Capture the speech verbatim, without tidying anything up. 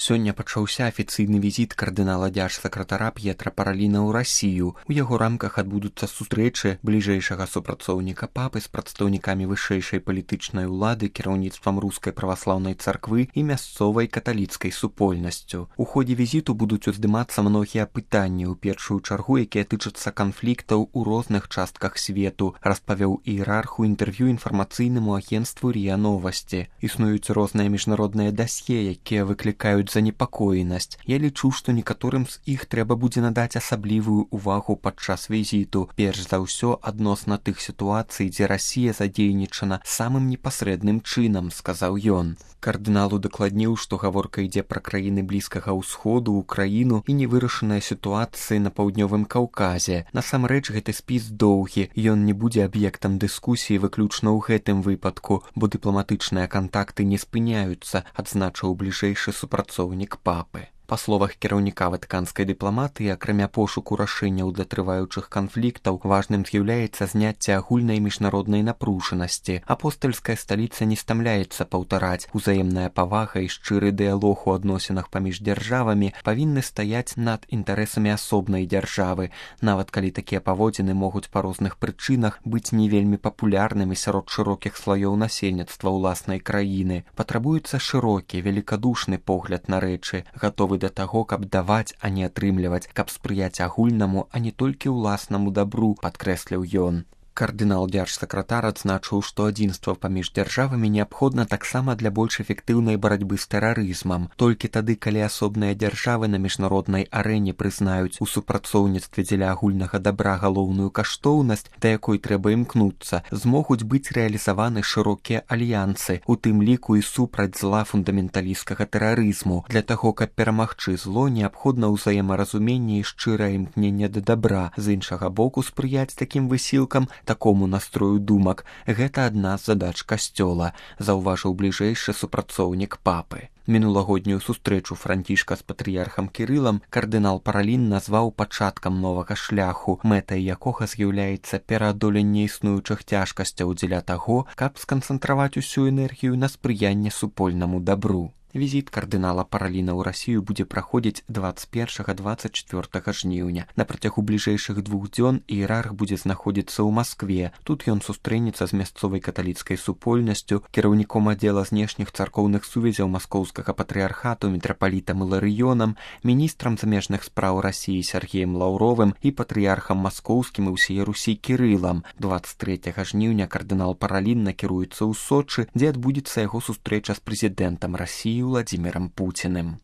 Сёння пачаўся афіцыйны візіт кардынала дзяржсакратара П'етра Параліна ў Расію. У яго рамках адбудуцца сустрэчы бліжэйшага супрацоўніка папы з прадстаўнікамі вышэйшай палітычнай улады, кіраўніцтвам рускай праваслаўнай царквы і мясцовай каталіцкай супольнасцю. У ходзе візіту будуць уздымацца многія пытанні, у першую чаргу, якія тычацца канфліктаў у розных частках свету, распавёў іерарх у інтэрв'ю інфармацыйнаму агенцтву РИА Новасці. Існуюць розныя міжнародныя дасье, якія выклікаюць занепакоенасць. Я лічу, што некаторым з іх трэба будзе надаць асаблівую ўвагу падчас візіту. Перш за ўсё адносна тых сітуацый, дзе Расія задзейнічана самым непасрэдным чынам, сказаў ён. Кардынал удакладніў, што гаворка ідзе пра краіны блізкага ўсходу, Украіну і невырашаныя сітуацыі на паўднёвым Каўказе. Насамрэч гэты спіс доўгі, ён не будзе аб'ектам дыскусіі выключна ў гэтым выпадку, бо дыпламатычныя кантакты не спыняюцца, адзначыў бліжэйшы супрацоўнік папы. Па словах кіраўніка ватыканскай дыпламатыі, акрамя пошуку рашэнняў для трываючых канфліктаў, важным з'яўляецца зняцце агульнай міжнароднай напружанасці. Апостальская сталіца не стамляецца паўтараць. Узаемная павага і шчыры дыялог у адносінах паміж дзяржавамі павінны стаяць над інтарэсамі асобнай дзяржавы, нават калі такія паводзіны могуць па розных прычынах быць не вельмі папулярнымі сярод шырокіх слаёў насельніцтва ўласнай краіны. Патрабуецца шырокі, велікадушны погляд на рэчы, гатовы да таго, каб даваць, а не атрымліваць, каб спрыяць агульнаму, а не толькі ўласнаму дабру, падкрэсліў ён. Кардынал дзяржсакратар адзначыў, што адзінства паміж дзяржавамі неабходна таксама для больш эфектыўнай барацьбы з тэрарызмам. Толькі тады, калі асобныя дзяржавы на міжнароднай арэне прызнаюць у супрацоўніцтве дзеля агульнага дабра галоўную каштоўнасць, да якой трэба імкнуцца, змогуць быць рэалізаваны шырокія альянсы, у тым ліку і супраць зла фундаменталісцкага тэрарызму. Для таго, каб перамагчы зло, неабходна ўзаемаразуменне і шчырае імкненне да дабра. З іншага боку, спрыяць такім высілкам, такому настрою думак, гэта адна з задач касцёла, заўважыў бліжэйшы супрацоўнік папы. Мінулагоднюю сустрэчу Францішка з патрыярхам Кірылам кардынал Паралін назваў пачаткам новага шляху, мэтай якога з'яўляецца пераадоленне існуючых цяжкасцяў дзеля таго, каб сканцэнтраваць усю энергію на спрыянне супольнаму дабру. Візіт кардынала Параліна ў Расію будзе праходзіць дваццаць першага - дваццаць чвёртага жніўня. На працягу бліжэйшых двух дзён іерарх будзе знаходзіцца ў Маскве. Тут ён сустрэнецца з мясцовай каталіцкай супольнасцю, кіраўніком аддзела знешніх царкоўных сувязяў маскоўскага патрыярхату мітрапалітам Іларыёнам, міністрам замежных спраў Расіі Сергеем Лаўровым і патрыярхам маскоўскім і ўсей Русі Кірылам. дваццаць трэцяга жніўня кардынал Паралін накіруецца ў Сочы, дзе адбудзецца яго сустрэча з прэзідэнтам Расіі Владимиром Путиным.